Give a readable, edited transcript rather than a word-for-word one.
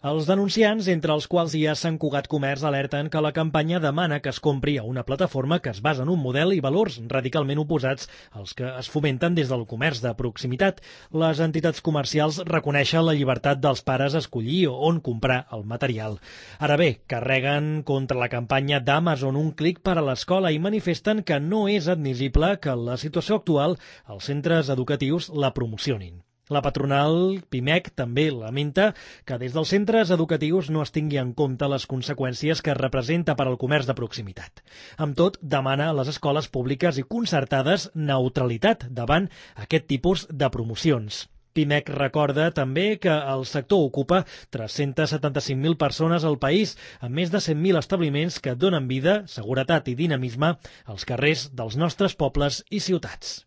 Els denunciants, entre els quals hi ha Sant Cugat Comerç, alerten que la campanya demana que es compri a una plataforma que es basa en un model i valors radicalment oposats als que es fomenten des del comerç de proximitat. Les entitats comercials reconeixen la llibertat dels pares a escollir on comprar el material. Ara bé, carreguen contra la campanya d'Amazon un clic per a l'escola i manifesten que no és admissible que en la situació actual els centres educatius la promocionin. La patronal Pimec també lamenta que des dels centres educatius no es tingui en compte les conseqüències que representa per al comerç de proximitat. Amb tot, demana a les escoles públiques i concertades neutralitat davant aquest tipus de promocions. Pimec recorda també que el sector ocupa 375.000 persones al país, amb més de 100.000 establiments que donen vida, seguretat i dinamisme als carrers dels nostres pobles i ciutats.